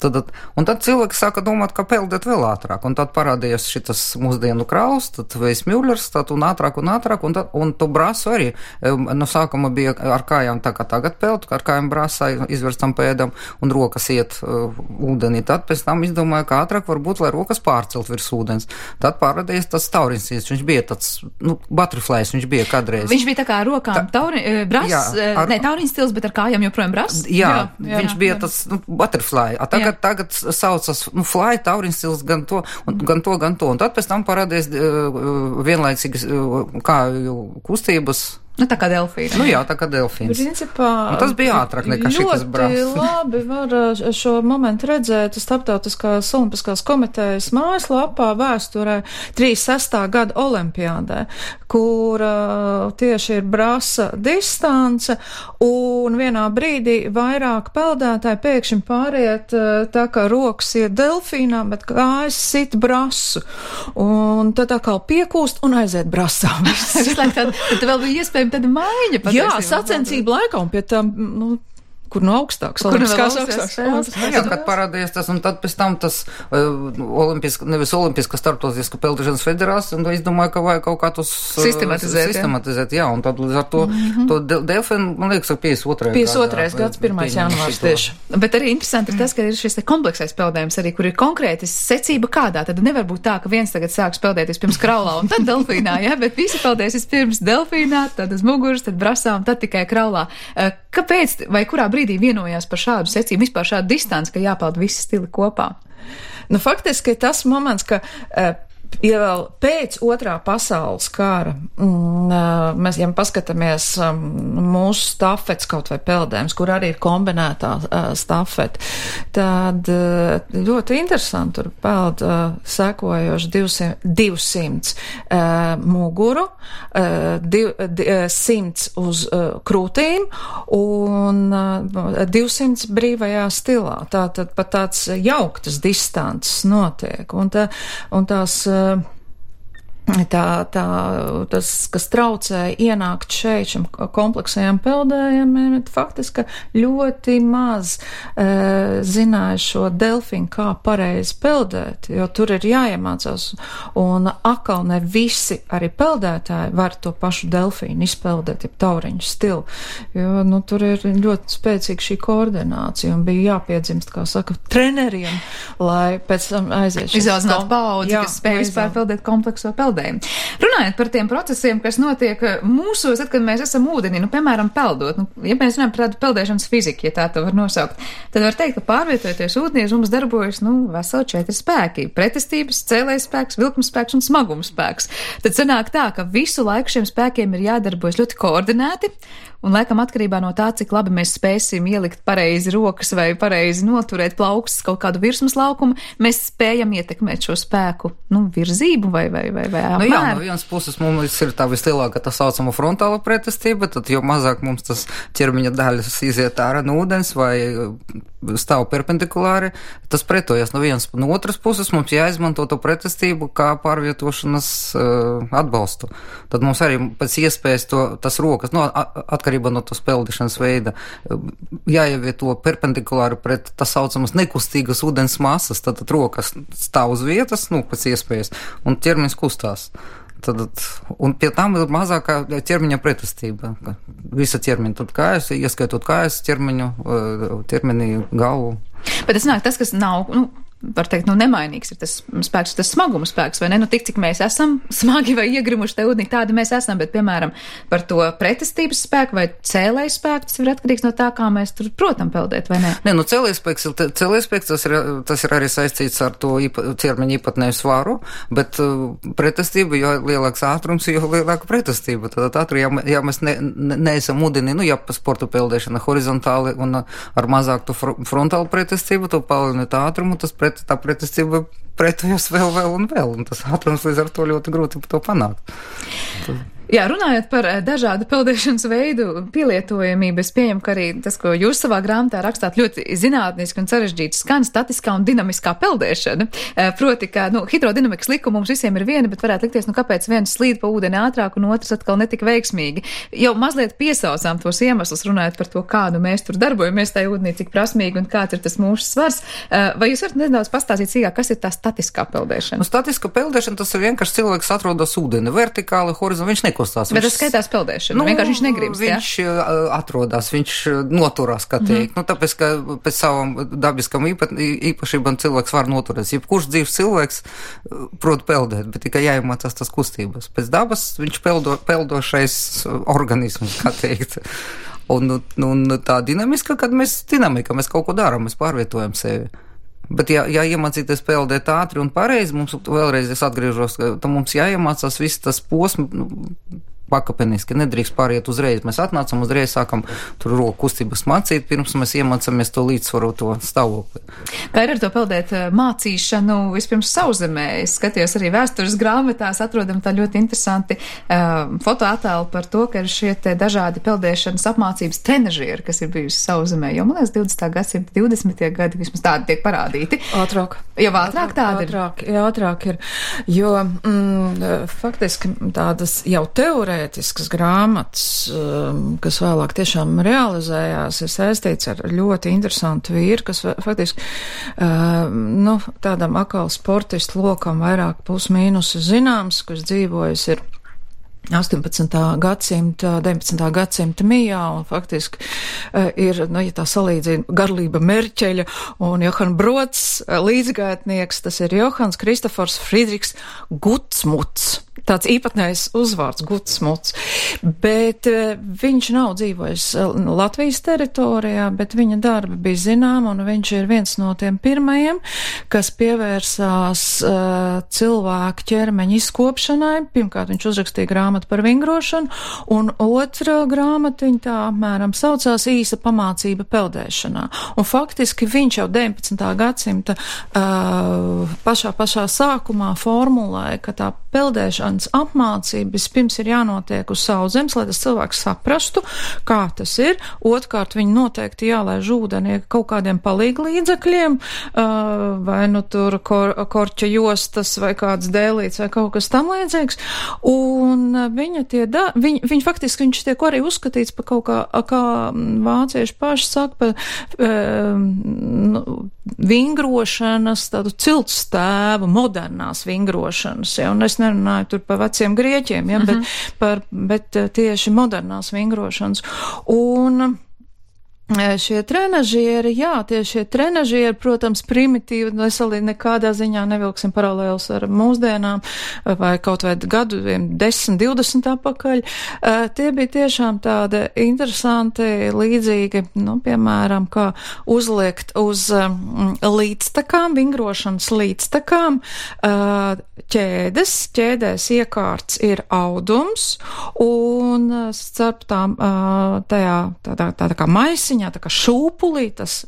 Tad, un tad cilvēki sāka domāt, ka peldēt vēl ātrāk, un tad parādījās šitas mūsdienu krauls, tad Vejs Mjūlers, tad un ātrāk un ātrāk, un, tad, un to brasu arī, no sākuma bija ar kājām tā kā tagad peld, ar kājām brasā izverstam pēdam, un rokas iet uh, ūdenī. Tad pēc tam izdomāja, ka ātrāk varbūt, lai rokas pārcelt virs ūdens. Tad parādījās tas tauriņs, viņš bija tāds, nu, butterflies, viņš bija kādreiz. Viņš bija tā kā rokām tā, tauri, bras, jā, ar, ne tauriņš stils, bet ar kājām joprojām bras? Jā, jā, jā viņš jā, bija jā. tas, nu, butterfly. A tagad, tagad saucas, nu, fly, tauriņš stils, gan to, un, gan to, gan to. Un tad pēc tam parādījās uh, vienlaicīgas uh, kāju kustības. Nu, tā kā delfīna. Nu jā, tā kā delfīns. Principā, un tas bija ātrāk nekā šitas brālis. Ļoti labi var šo momentu redzēt Starptautiskās olimpiskās komitejas mājaslapā vēsturē trīsdesmit sestā gada olimpiādē, kur uh, tieši ir brasa distance, un vienā brīdī vairāk peldētāji pēkšņi pāriet uh, tā kā rokas iet delfīnā, bet kājas sit brasu. Un tad tā kā piekūst un aiziet brasā. tad, tad vēl bija iespēja tāda maiņa. Jā, sacensību laikā un pie tam, nu, kur no augstāks, olimpiskās augstāks. Jā, kad parādījās tas, un tad pēc tam tas uh, olimpiska, nevis olimpiska starptautiska peldēšanas federācija, un izdomāja, ka vajag kaut kā tos uh, sistematizēt. sistematizēt, jā, un tad līdz ar to, mm-hmm. to de delfinu, man liekas, piecdesmit otrais piecdesmit otrais gads, pirmais janvārs tieši. Bet arī interesanti ir tas, ka ir šis kompleksais peldējums arī, kur ir konkrēti secība kādā, tad nevar būt tā, ka viens tagad sāks peldēties pirms kraulā un tad delfīnā, jā, bet visi peldēsies pirms delfīnā, tad uz muguras, tad brasā un tad tikai kraulā. Uh, kāpēc vai kurā brīdī vienojās par šādu secību, vispār šādu distanci, ka jāpeld visi stili kopā? Nu, faktiski tas moments, ka uh, ja vēl pēc otrā pasaules kara, mm, mēs, ja paskatāmies um, mūsu stafets kaut vai peldējums, kur arī ir kombinētā uh, stafeta, tad uh, ļoti interesanti tur peld uh, sekojoši divsimt uh, muguru, uh, div, di, uh, simts uz uh, krūtīm un uh, divsimt brīvajā stilā. Tātad pat tāds jauktas distances notiek. Un, tā, un tās tā, tā, tas, kas traucēja ienākt šeit šim kompleksajam peldējumiem, faktiski ļoti maz e, zināja šo delfinu, kā pareizi peldēt, jo tur ir jāiemācās, un atkal ne visi arī peldētāji var to pašu delfīnu izpeldēt, ja tauriņu stilu, jo, nu, tur ir ļoti spēcīga šī koordinācija, un bija jāpiedzimst, kā saka, treneriem, lai pēc tam aiziet šis izauzināt paudzi, kas spēj vispār peldēt komplekso peldējumu. Runājot par tiem procesiem, kas notiek mūsos, tad, kad mēs esam ūdenī, nu, piemēram, peldot, nu, ja mēs runājam par tādu peldēšanas fiziku, ja tā to var nosaukt, tad var teikt, ka pārvietojoties ūdenī mums darbojas, nu, veseli četri spēki - pretestības, cēlējs spēks, vilkums spēks un smagums spēks. Tad sanāk tā, ka visu laiku šiem spēkiem ir jādarbojas ļoti koordinēti, un laikam atkarībā no tā, cik labi mēs spēsim ielikt pareizi rokas vai pareizi noturēt plaukstas kaut kādu virsmas laukumu, mēs spējam ietekmēt šo spēku, nu, virzību vai, vai, vai, vai apmēru. Nu jā, no vienas puses mums ir tā vislielākā tā saucama frontāla pretestība, tad jo mazāk mums tas ķermeņa daļas iziet ārā no ūdens vai stāv perpendikulāri, tas pretojas no vienas, no otras puses mums jāizmanto to pretestību kā pārvietošanas uh, atbalstu. Tad mums arī pēc iespējas to, tas rokas, no, atkarībā no tos peldēšanas veida, jāievieto perpendikulāri pret tas saucamas nekustīgas ūdens masas, tad, tad rokas stāv uz vietas, nu, pēc iespējas, un ķermenis kustās. Tad, un pie tam ir mazākā ķermeņa pretestība. Visa ķermeņa, tad kājas, ieskaitot kājas ķermeņu, ķermenī galvu. Bet tas nāk tas, kas nav, nu, var teikt, nu, nemainīgs ir tas spēks, tas smaguma spēks, vai ne? Nu, tik, cik mēs esam smagi vai iegrimuši te ūdenī, tādi mēs esam, bet, piemēram, par to pretestības spēku vai cēlēju spēku, tas ir atkarīgs no tā, kā mēs tur, protam, peldēt, vai ne? Nē, nu, cēlēju spēks, cēlēju spēks, tas ir, tas ir arī saistīts ar to īpa, ķermeņa īpatnēju svaru, bet uh, pretestība, jo lielāks ātrums, jo lielāka pretestība. Tad ātri, ja, ja mēs ne, ne, neesam ūdenī, nu, ja pa sportu peldēšana horizontāli un ar mazāku frontālu pretestību, to palielināt ātrumu, tas pret tā pretestība pretojas vēl, vēl un vēl, un tas ātrums līdz ar to ļoti grūti to panākt. Tad... Jā, runājot par dažādu peldēšanas veidu pielietojamību, es pieņemu, ka arī tas, ko jūs savā grāmatā rakstāt, ļoti zinātniski un sarežģīti skan statiskā un dinamiskā peldēšana. Proti, ka, nu, hidrodinamikas likuma mums visiem ir viena, bet varētu likties, nu, kāpēc viens slīd pa ūdeni ātrāk un otrs atkal netik veiksmīgi. Jau mazliet piesaucām tos iemeslus, runājot par to, kā nu mēs tur darbojamies tajā ūdenī, cik prasmīgi un kāds ir tas mūsu svars. Vai jūs varat nedaudz pastāstīt sīkāk, kas ir tā statiskā peldēšana? Nu, statiska peldēšana, tas ir vienkārši cilvēks atrodas ūdeni, vertikāli, horizontāli, viņš nekustās. Bet tas skaitās peldēšana, nu, vienkārši viņš negribas, jā? Viņš ja? atrodas, viņš noturās, kā teikt. Mm. Nu, tāpēc, ka pēc savam dabiskam īpa, īpašībām cilvēks var noturēties. Jebkurš dzīves cilvēks prot peldēt, bet tikai jāiemācās tas kustības. Pēc dabas viņš peldo, peldošais organisms, kā teikt. Un, un tā dinamiska, kad mēs dinamika, mēs kaut ko darām, mēs pārvietojam sevi. Bet, ja, ja iemācīties peldēt ātri un pareizi, mums vēlreiz es atgriežos, ka mums jāiemācās viss tas posms, nu, pakāpeniski, nedrīkst pāriet uzreiz. Mēs atnācam uzreiz, sākam tur roku kustības mācīt, pirms mēs iemācāmies to līdzsvaroto stāvokli. Kā ir ar to peldēt mācīšanu vispirms sauszemē? Es skatījos arī vēstures grāmatās, atrodam tā ļoti interesanti uh, fotoattēlu par to, ka ir šie te dažādi peldēšanas apmācības trenažieri, kas ir bijusi sauszemē. Jo, man liekas, divdesmitā gadsimta divdesmitie gadi vismaz tādi tiek parādīti. Ātrāk. Jau ātrāk tādi ir? Ātrāk, jā, ātrāk ir. Jo, mm, faktiski tādas jau teorētiskas grāmatas, kas vēlāk tiešām realizējās, ir saistīts ar ļoti interesantu vīru, kas faktiski, nu, tādam akālu sportistu lokam vairāk plus mīnus zināms, kas dzīvojas ir astoņpadsmitā gadsimta, deviņpadsmitā gadsimta mijā, un faktiski uh, ir, nu, ja tā salīdzina, Garlība Merķeļa un Johan Brods uh, līdzgaitnieks, tas ir Johans Kristofors Friedrichs Gutsmuts. Tāds īpatnējs uzvārds Gutsmuts. Bet uh, viņš nav dzīvojis uh, Latvijas teritorijā, bet viņa darbi bija zinām, un viņš ir viens no tiem pirmajiem, kas pievērsās uh, cilvēku ķermeņa izkopšanai. Pirmkārt, viņš uzrakstīja grāmatu par vingrošanu, un otra grāmatiņa tā apmēram saucās Īsa pamācība peldēšanā. Un faktiski viņš jau deviņpadsmitā gadsimta uh, pašā pašā sākumā formulēja, ka tā peldēšanas apmācība vispirms ir jānotiek uz sauszemes, lai tas cilvēks saprastu, kā tas ir. Otkārt, viņi noteikti jālaiž ūdenī kaut kādiem palīglīdzekļiem, uh, vai nu tur kor, korķa jostas, vai kāds dēlīts, vai kaut kas tam līdzīgs. Un viņa tie da, viņ, viņa faktiski viņš tiek arī uzskatīts par kaut kā, kā vācieši paši saka, par um, nu, vingrošanas, tādu ciltstēvu, modernās vingrošanas, ja, un es nerunāju tur par veciem grieķiem, ja, uh-huh. bet, par, bet tieši modernās vingrošanas. Un šie trenažieri, jā, tie šie trenažieri, protams, primitīvi, veselīgi nekādā ziņā nevilksim paralēlus ar mūsdienām, vai kaut vai gadu, desmit, divdesmit apakaļ. Tie bija tiešām tādi interesanti, līdzīgi, nu, piemēram, kā uzliekt uz līdztakām, vingrošanas līdztakām, ķēdes, ķēdēs iekārts ir audums, un starp tām tajā tādā, tādā kā maisiņā, tā kā šūpulī, tas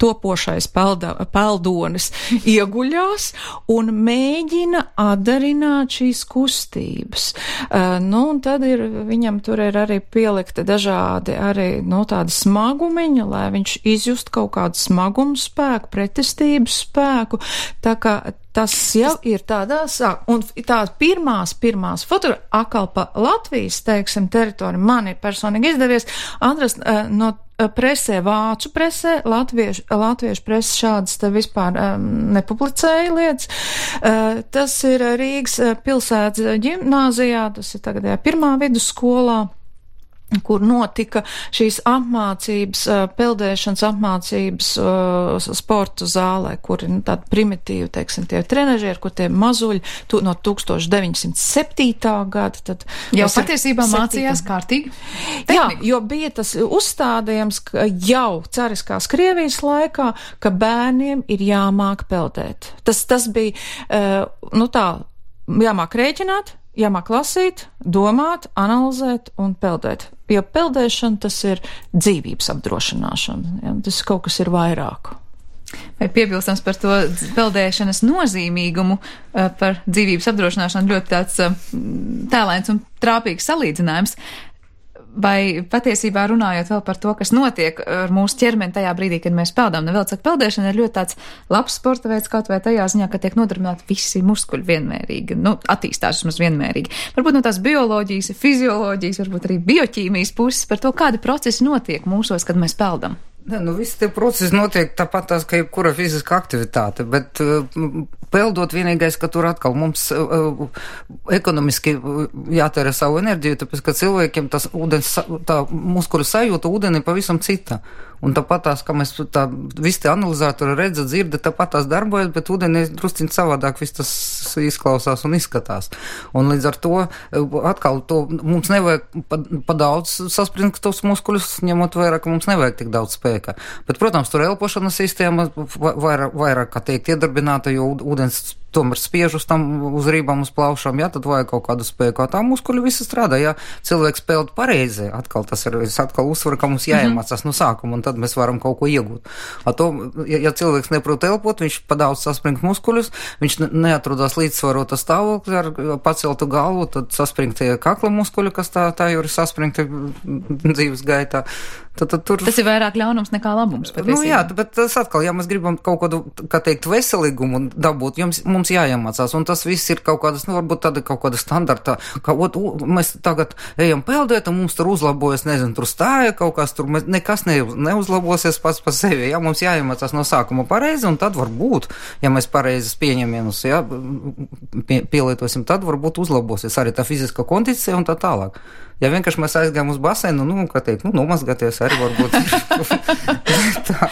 topošais pelda, peldonis ieguļās un mēģina atdarināt šīs kustības. Uh, nu, un tad ir, viņam tur ir arī pielikti dažādi arī, nu, tādi smagumiņi, lai viņš izjust kaut kādu smagumu spēku, pretestības spēku, tā kā tas jau ir tādā sāk. Un tās pirmās, pirmās fotogra, akal pa Latvijas, teiksim, teritoriju man ir personīgi izdevies atrast uh, no presē, vācu presē, latviešu, latviešu presa šādas te vispār um, nepublicēja lietas. Uh, tas ir Rīgas pilsētas ģimnāzijā, tas ir tagadējā pirmā vidusskolā, kur notika šīs apmācības, peldēšanas apmācības sporta zālē, kur ir nu, tādi primitīvi, teiksim, tie trenažieri, kur tie mazuļi tu, no tūkstoš deviņsimt septītā gada. Tad jau patiesībā mācījās kārtīgi? Tehnika. Jā, jo bija tas uzstādījums jau cariskās Krievijas laikā, ka bērniem ir jāmāk peldēt. Tas, tas bija, nu tā, jāmāk rēķināt, jāmāk lasīt, domāt, analizēt un peldēt. Jo peldēšana tas ir dzīvības apdrošināšana. Ja? Tas kaut kas ir vairāk. Vai piebilstams par to peldēšanas nozīmīgumu, par dzīvības apdrošināšanu ļoti tāds tēlains un trāpīgs salīdzinājums. Vai patiesībā runājot vēl par to, kas notiek ar mūsu ķermeni tajā brīdī, kad mēs peldām, nu vēl saka, peldēšana ir ļoti tāds labs sporta veids, kaut vai tajā ziņā, ka tiek nodarbināti visi muskuļi vienmērīgi, nu, attīstās vismaz vienmērīgi. Varbūt no tās bioloģijas, fizioloģijas, varbūt arī bioķīmijas puses par to, kādi procesi notiek mūsos, kad mēs peldam. Ne, nu, visi tie procesi notiek tāpat tās, ka jebkura fiziska aktivitāte, bet uh, peldot vienīgais, ka tur atkal mums uh, ekonomiski jātērē savu enerģiju, tāpēc, ka cilvēkiem tas ūdens, tā muskuļu sajūta ūdeni pavisam cita. Un tāpat tās, ka mēs tā visi tie analizatori redza, dzirda, tāpat tās darbojas, bet ūdeni drusciņ savādāk viss tas izklausās un izskatās. Un līdz ar to atkal to mums nevajag pa, pa daudz saspringt tos muskuļus, ņemot vairāk, mums nevajag tik daudz spēka. Bet, protams, tur elpošanas sistēma vairāk, vairāk kā teikt, iedarbināta, jo ūdens tomēr spiež uz tam, uz rībām, uz plaušām, jā, tad vajag kaut kādu spēku. Tā muskuļi visi strādā, jā, cilvēks peld pareizi, atkal tas ir, es atkal uzsveru, ka mums jāiemācās no sākuma, un tad mēs varam kaut ko iegūt. A to, ja, ja cilvēks neprot elpot, viņš padaudz saspringt muskuļus, viņš neatrodās līdzsvarota stāvokļa ar paceltu galvu, tad saspringt tie kakla muskuļi, kas tā, tā jau ir saspringti dzīves gaitā. Tad, tad tur... Tas ir vairāk ļaunums nekā labums. Nu jā, bet tas atkal, ja mēs gribam kaut kādu, kā teikt, veselīgumu dabūt, jums, mums jāiemācās, un tas viss ir kaut kādas, nu varbūt tāda kaut kāda standarta, ka ot, u, mēs tagad ejam peldēt, un mums tur uzlabojas, nezinu, tur stāja kaut kas, tur mēs, nekas ne, neuzlabosies pats pa sevi, ja mums jāiemācās no sākuma pareizi, un tad varbūt, ja mēs pareizes pieņemienus, ja, pie, pielietosim, tad varbūt uzlabosies arī tā fiziska kondicija un tā tālāk. Ja vienkārši mēs aizgājām uz baseinu, nu, kā teikt, nu, nomazgāties arī varbūt. Tā.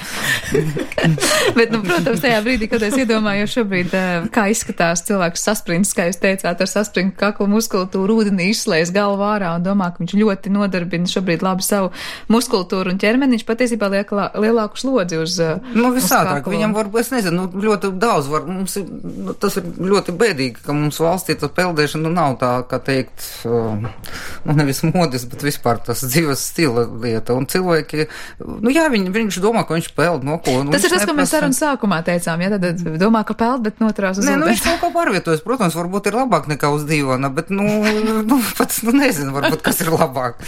Bet, nu, protams, tajā brīdī, kad es iedomājos šobrīd, kā izskatās cilvēks sasprints, kā jūs teicāt, ar sasprintu kaklu muskultūru, ūdenī izslēs galvu ārā un domā, ka viņš ļoti nodarbina šobrīd labi savu muskultūru un ķermeni, viņš patiesībā liek lielāku slodzi uz Nu, visādāk, viņam varbūt, es nezinu, nu, ļoti daudz var, mums ir, nu, tas ir ļoti bēdīgi, ka mums valstī tā peldēšana, nu, nav tā, kā teikt, nu, nevis modis, bet vispār tas dzīves stila lieta. Un cilvēki, nu jā, viņ, viņš domā, ka viņš peld, no ko. Nu, tas ir tas, ko mēs sarunas sākumā teicām, ja tad domā, ka peld, bet noturās uz Nē, ūdens. nu viņš kaut kā pārvietojas, protams, varbūt ir labāk nekā uz divana, bet, nu, nu pats, nu nezinu, varbūt, kas ir labāk.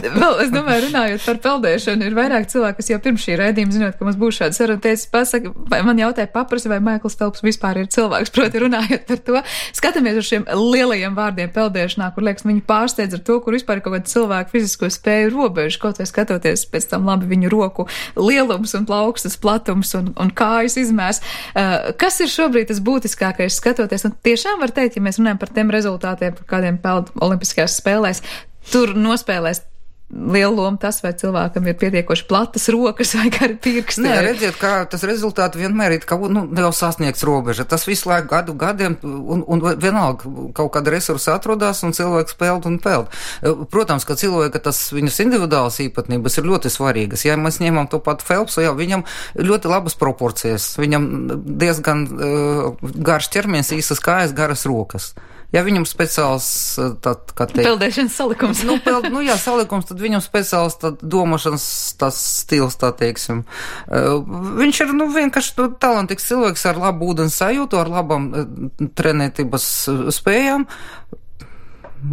Vēl, es domāju, runājot par peldēšanu, ir vairāk cilvēki, kas jau pirms šī raidījuma, zinot, ka mums būs šāda saruna, teica, pasaka, vai man jautāja paprasi, vai Maikls Felps vispār ir cilvēks, proti runājot par to. Skatāmies uz šiem lielajiem vārdiem peldēšanā, kur, liekas, viņi pārsteidz ar to, kur vispār ir kaut kāda cilvēku fizisko spēju robežu, kaut vai skatoties pēc tam labi viņu roku lielums un plaukstas platums un, un kājas izmērs. Uh, kas ir šobrīd tas būtiskākais skatoties? Un tiešām var teikt, ja mēs runājam par tiem rezultātiem, par kādiem peld olimpiskajās spēlēs, tur nospēlēs lielu lomu tas, vai cilvēkam ir pietiekoši platas rokas vai gari pirksti. Nē, redziet, kā tas rezultāti vienmēr ir, ka, nu, jau sasniegts robeža. Tas visu laiku gadu gadiem, un, un vienalga kaut kāda resursa atrodās, un cilvēks peld un peld. Protams, ka cilvēka tas viņas individuālas īpatnības ir ļoti svarīgas. Ja mēs ņemam to pat Felpsu, jā, viņam ļoti labas proporcijas. Viņam diezgan uh, garš ķermenis, īsas kājas, garas rokas. Ja viņam speciāls, tad, kā teikt... Peldēšanas salikums. Nu, peld, nu jā, salikums, tad viņam speciāls tad domašanas tas stils, tā teiksim. Uh, viņš ir, nu, vienkārši talantīgs cilvēks ar labu ūdens sajūtu, ar labam uh, trenētības spējām.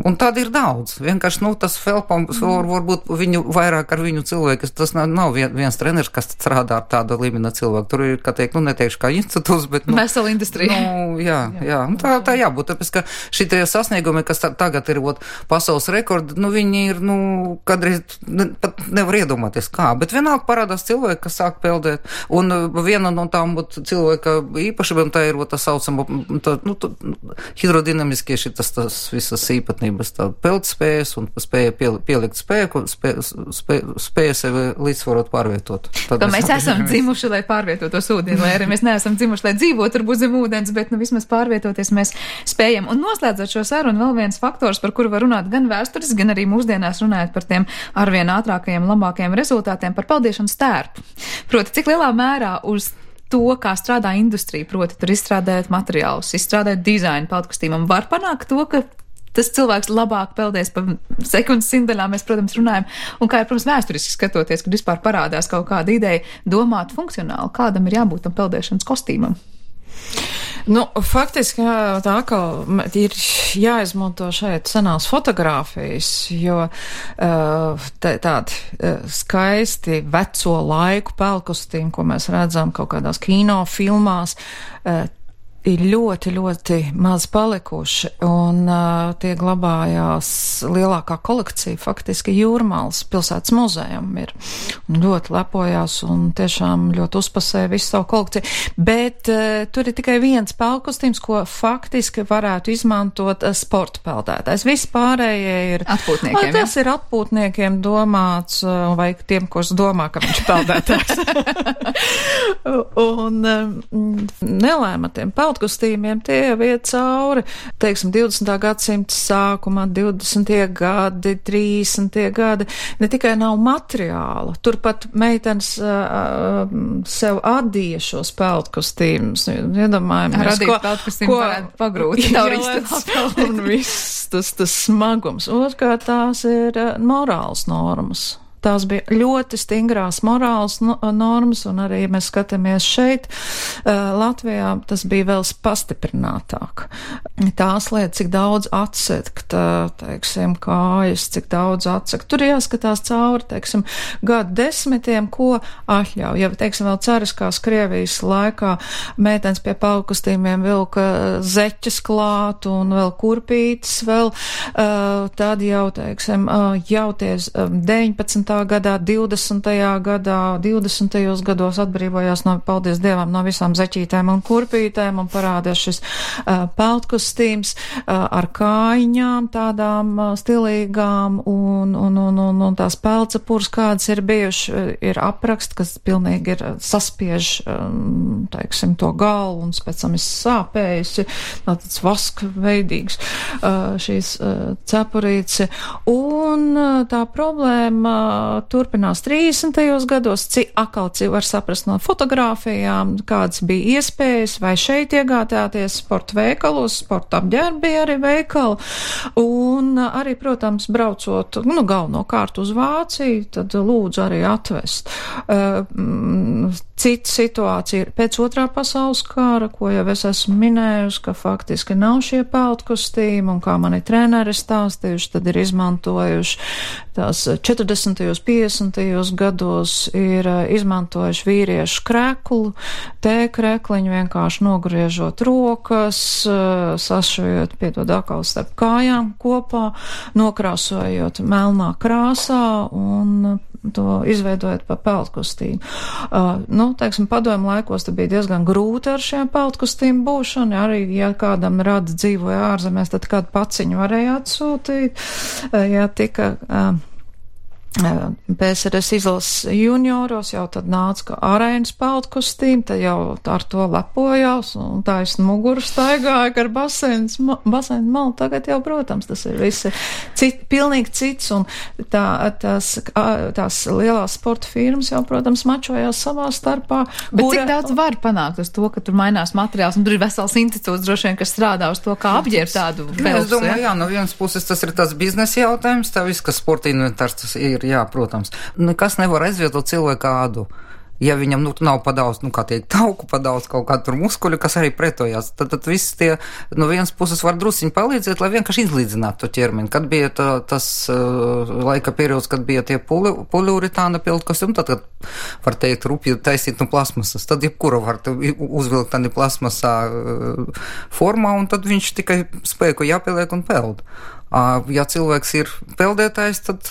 Un tādi ir daudz. Vienkārši, nu, tas Felpam, var, varbūt viņu vairāk ar viņu cilvēku, tas nav, nav vien, viens treneris, kas strādā ar tādu līmeni cilvēku. Tur ir, kā teikt, nu, neteikšu kā institūts, bet, nu... Vesela industrija. Nu, jā, jā. Un tā, tā jābūt, tāpēc, ka šitie sasniegumi, kas tā, tagad ir, ot, pasaules rekordi, nu, viņi ir, nu, kādreiz ne, pat nevar iedomāties kā, bet vienalga parādās cilvēki, kas sāk peldēt. Un viena no tām, ot, cilvēka īpašībām, tā ir, ot, tā saucama, tā, nu, tā, hidrodinamiskie šitas, tas visas īpat tā peldspējas un spēja pielikt spēku, spēja, spēja, spēja sevi līdzsvarot pārvietot. Tad ka mēs esam dzimuši, lai pārvietotos ūdeni, lai arī mēs neesam dzimuši, lai dzīvot varbūt zem ūdens, bet nu vismaz pārvietoties mēs spējam. Un noslēdzot šo sarunu, vēl viens faktors, par kuru var runāt gan vēstures, gan arī mūsdienās runājot par tiem arvien ātrākajiem, labākajiem rezultātiem, par peldēšanas tērpu. Proti, cik lielā mērā uz to, kā strādā industrija, proti, tur izstrādājot materiālus, izstrādājot dizainu peldkostīmam, var panākt to, ka tas cilvēks labāk peldēs pa sekundes simtdaļām, mēs, protams, runājam, un kā ir, protams, vēsturiski skatoties, kad vispār parādās kaut kāda ideja domāt funkcionāli, kādam ir jābūt tam peldēšanas kostīmam. Nu, faktiski tā kā ir jāizmanto šeit senās fotogrāfijas, jo tā, tādi skaisti veco laiku peldkostīmi, ko mēs redzam kaut kādās kino filmās, ir ļoti, ļoti maz palikuši, un uh, tie glabājās lielākā kolekcija, faktiski Jūrmālas pilsētas muzejam ir, un ļoti lepojās, un tiešām ļoti uzpasēja visu savu kolekciju, bet uh, tur ir tikai viens peldkostīms, ko faktiski varētu izmantot uh, sporta peldētājs. Viss pārējie ir atpūtniekiem, tas ja? ir atpūtniekiem domāts, uh, vai tiem, kurš domā, ka viņš peldētājs. un um, nelēma tiem peldētājiem kostīmiem tie jau iet cauri, teiksim, divdesmitā gadsimta sākumā, divdesmitie gadi, trīsdesmitie gadi, ne tikai nav materiāla, turpat meitenes uh, sev adīja šos peldkostīmus, iedomājamies, Radīt peldkostīmu varētu pagrūt, un viss tas, tas smagums. Otrkārt, tās ir uh, morāls normas. Tās bija ļoti stingrās morāls normas, un arī, ja mēs skatāmies šeit, Latvijā, tas bija vēl pastiprinātāk. Tās lietas, cik daudz atsekt, teiksim, kājas, cik daudz atsekt. Tur jāskatās cauri, teiksim, gadu desmitiem, ko atļauj. Ja, teiksim, vēl cariskās Krievijas laikā meitenes pie peldkostīmiem vilka zeķes klāt un vēl kurpītes vēl, tad jau, teiksim, jau tie deviņpadsmitajā gadā, divdesmitajā gadā, divdesmitajos gados atbrīvojās no, paldies Dievam, no visām zeķītēm un kurpītēm un parādās šis uh, peldkostīms uh, ar kājiņām, tādām uh, stilīgām un, un, un, un, un tās pelcepūras, kādas ir bijuši, ir aprakst, kas pilnīgi ir saspiež, um, teiksim, to galvu un pēc tam ir sāpējusi, tāds vaska veidīgs uh, šīs uh, cepurīci. Un uh, tā problēma turpinās trīsdesmitajos gados, cik akal var saprast no fotogrāfijām, kādas bija iespējas, vai šeit iegādāties sporta veikalos, sporta apģērbi arī veikali, un arī, protams, braucot, nu, galvenokārt uz Vāciju, tad lūdzu arī atvest. Cita situācija ir pēc otrā pasaules kara, ko jau es esmu minējusi, ka faktiski nav šie peldkostīmi, un kā mani treneri stāstījuši, tad ir izmantojuši tās četrdesmitajos, piecdesmitajos gados ir izmantojuši vīriešu kreklu, T krekliņu vienkārši nogriežot rokas, sašujot piedod atkal starp kājām kopā, nokrāsojot melnā krāsā un to izveidojot pa peldkostīmu. Uh, nu, teiksim, padomu laikos te bija diezgan grūti ar šiem peldkostīmu būšanu, arī, ja kādam rada dzīvoja ārzemēs, tad kādu paciņu varēja atsūtīt, uh, ja tika... Uh, P S R S izlases junioros jau tad nāca kā arēnas peldkostīmi, tad jau ar to lepojās un taisni muguru staigāja ar basēnas, basēnu malu. Tagad jau, protams, tas ir visi cit, pilnīgi cits, un tā, tās, tās lielās sporta firmas jau, protams, mačojās savā starpā. Bet kura... cik daudz var panākt uz to, ka tur mainās materiāls, un tur ir vesels institūts droši vien, kas strādā uz to, kā apģērbt tādu pelsu? Es domāju, jā, no vienas puses tas ir tas biznesa jautājums, tā viss, kas sporta inventārs tas ir. Jā, protams. Nekas nevar aizvietot cilvēku ādu. Ja viņam, nu, nav padaudz, nu, kā teikt, tauku padaudz kaut kādu tur muskuļu, kas arī pretojās, tad, tad viss tie, no vienas puses var drusiņi palīdzēt, lai vienkārši izlīdzinātu to ķermeni. Kad bija tā, tas uh, laika periods, kad bija tie puli, poliuritāna peldkostumi, tad, kad, var teikt, rupji taisīt no plasmasas, tad jebkura var uzvilkt tādi plasmasā uh, formā, un tad viņš tikai spēku jāpieliek un peld. Ja cilvēks ir peldētājs, tad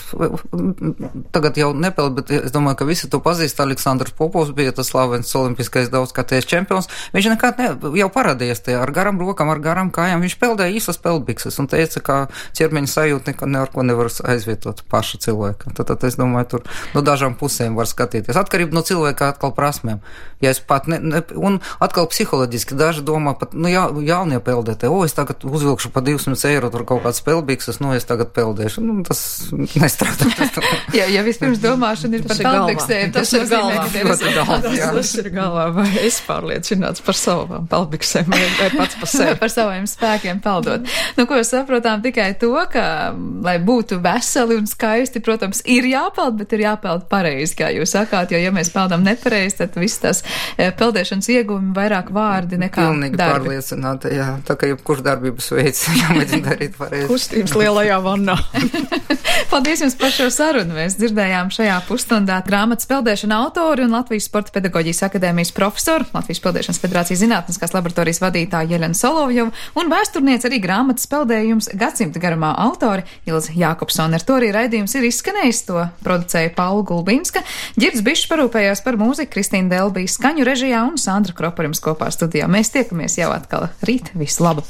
tagad jau nepeld, bet es domāju, ka visi to pazīst. Aleksandrs Popovs bija tas slavens olimpiskais daudzkārtējs čempions. Viņš nekad ne, jau parādījies te ar garam rokam, ar garam kājām. Viņš peldēja īsas peldbikses un teica, ka ķermeņa sajūta neko ne ar ko nevar aizvietot paša cilvēka. Tad, tad es domāju, tur no dažām pusēm var skatīties. Atkarība no cilvēka atkal prasmēm. Ja es pat ne, ne, un atkal psiholoģiski daži domā, pat, nu, jā, jaunie peldētāji, o, es tagad uzvilkšu pa divsimt eiro tur kaut kāds peldbikses. Bikses, nu, es tagad peldēšu. Nu, tas nestrādā. ja, ja vispirms domāšana ir par peldbiksēm, tas, tas ir galvā. Tas ir galvā. Tas ir galvā. Vai es pārliecināts par savām peldbiksēm, vai, vai pats par sevi. Par saviem spēkiem peldot. Nu, ko es saprotām tikai to, ka, lai būtu veseli un skaisti, protams, ir jāpeld, bet ir jāpeld pareizi, kā jūs sakāt, jo, ja mēs peldam nepareizi, tad viss tas peldēšanas ieguvumi vairāk vārdi nekā Pilnīgi darbi. Pilnīgi pārliecināta, jā. Tā kā jebkurš darbības veids jāmēģina darīt pareizi. Lielajā vannā. Paldies jums par šo sarunu. Mēs dzirdējām šajā pusstundā grāmatas peldēšana autori un Latvijas Sporta pedagoģijas akadēmijas profesoru, Latvijas Peldēšanas federācijas zinātniskās laboratorijas vadītāju Jeļenu Solovjovu un vēsturnieci arī grāmatas peldējums gadsimta garumā autori Ilze Jākopsone. Ar to arī raidījums ir izskanējis. To producēja Paula Gulbinska. Ģirds Bišs parūpējās par mūziku, Kristīna Delbija skaņu režijā un Sandra Kropa jums kopā studijā. Mēs tiekamies jau atkal rīt. Visu labu!